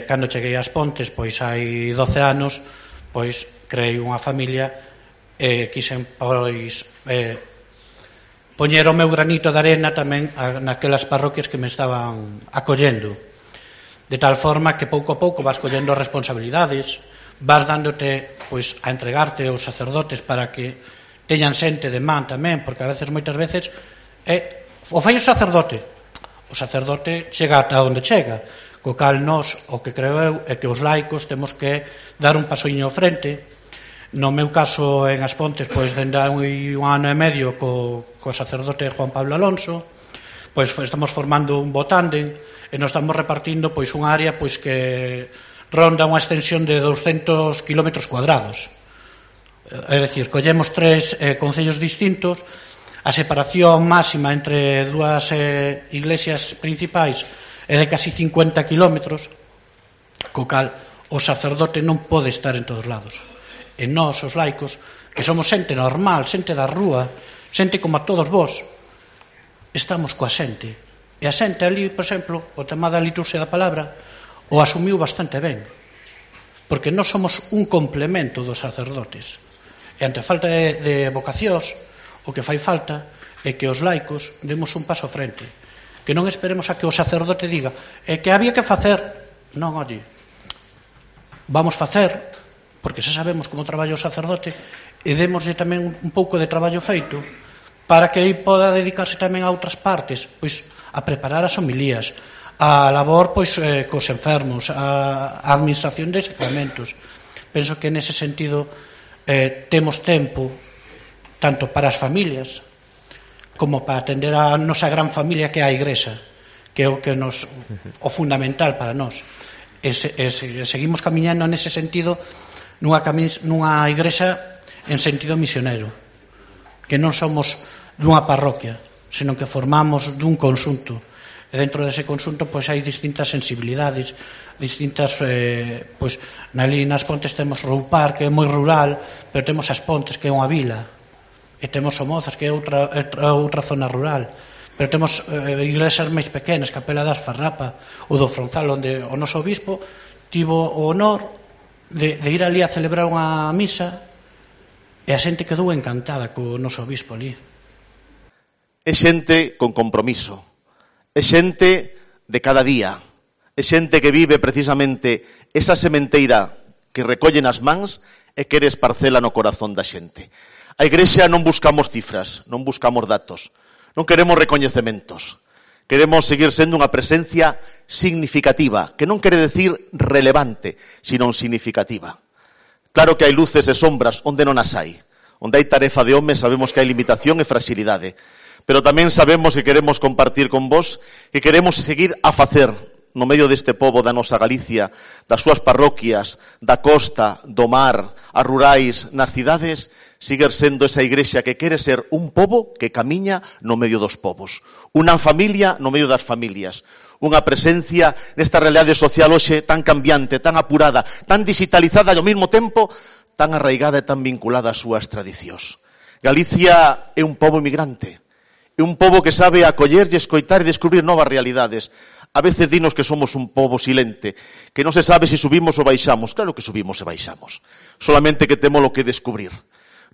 Cando cheguei ás Pontes, pois hai 12 anos, pois creei unha familia e quixen, pois, poñer o meu granito de arena tamén naquelas parroquias que me estaban acollendo, de tal forma que pouco a pouco vas collendo responsabilidades, vas dándote, pois, a entregarte aos sacerdotes para que teñan xente de man tamén, porque a veces, moitas veces, o fai o sacerdote chega ata onde chega, co cal nós, o que creo eu, é que os laicos temos que dar un pasoiño ao frente. No meu caso, en As Pontes, pois, dende hai un ano e medio co sacerdote Juan Pablo Alonso, pois estamos formando un bo tándem e nos estamos repartindo, pois, unha área, pois, que ronda unha extensión de 200 km cuadrados. É dicir, collemos 3 concellos distintos, a separación máxima entre dúas iglesias principais é de casi 50 kilómetros, co cal o sacerdote non pode estar en todos lados. E nós, os laicos, que somos xente normal, xente da rúa, xente como a todos vós, estamos coa xente. E a xente ali, por exemplo, o tema da liturxia da palabra, o asumiu bastante ben, porque nós somos un complemento dos sacerdotes. E ante falta de vocacións, o que fai falta é que os laicos demos un paso frente, que non esperemos a que o sacerdote diga que había que facer. Non, oye, vamos facer, porque xa sabemos como traballa o sacerdote, e démoslle tamén un pouco de traballo feito para que aí poda dedicarse tamén a outras partes, pois a preparar as homilías, a labor, pois, cos enfermos, a administración de sacramentos. Penso que nese sentido temos tempo tanto para as familias como para atender a nosa gran familia que é a Igrexa, que é o fundamental para nós. E seguimos camiñando nese sentido nunha Igrexa en sentido misionero, que non somos dunha parroquia, senón que formamos dun conxunto. E dentro dese conxunto, pois, hai distintas sensibilidades, distintas, pois, ali nas Pontes temos Roupar, que é moi rural, pero temos As Pontes, que é unha vila, e temos Somozas, que é outra zona rural, pero temos iglesias máis pequenas, Capela das Farrapa ou do Fronzal, onde o noso obispo tivo o honor de ir ali a celebrar unha misa e a xente quedou encantada co noso obispo ali. É xente con compromiso, é xente de cada día, é xente que vive precisamente esa sementeira que recollen as mans e que eres parcela no corazón da xente. A Igrexa non buscamos cifras, non buscamos datos, non queremos recoñecementos, queremos seguir sendo unha presencia significativa, que non quere decir relevante, sino significativa. Claro que hai luces e sombras onde non as hai. Onde hai tarefa de home sabemos que hai limitación e fragilidade, pero tamén sabemos que queremos compartir con vos, que queremos seguir a facer no medio deste pobo da nosa Galicia, das súas parroquias, da costa, do mar, as rurais, nas cidades, seguir sendo esa Igrexa que quere ser un pobo que camiña no medio dos povos, unha familia no medio das familias, unha presencia nesta realidade social hoxe tan cambiante, tan apurada, tan digitalizada e ao mesmo tempo tan arraigada e tan vinculada ás súas tradicións. Galicia é un pobo emigrante, é un pobo que sabe acoller e escoitar e descubrir novas realidades. A veces dinos que somos un pobo silente, que non se sabe se subimos ou baixamos. Claro que subimos e baixamos, solamente que temos lo que descubrir.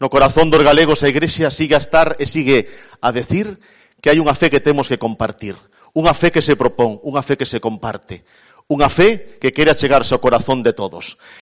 No corazón dos galegos a Igrexa sigue a estar e sigue a decir que hai unha fe que temos que compartir, unha fe que se propón, unha fe que se comparte, unha fe que quere achegarse ao corazón de todos.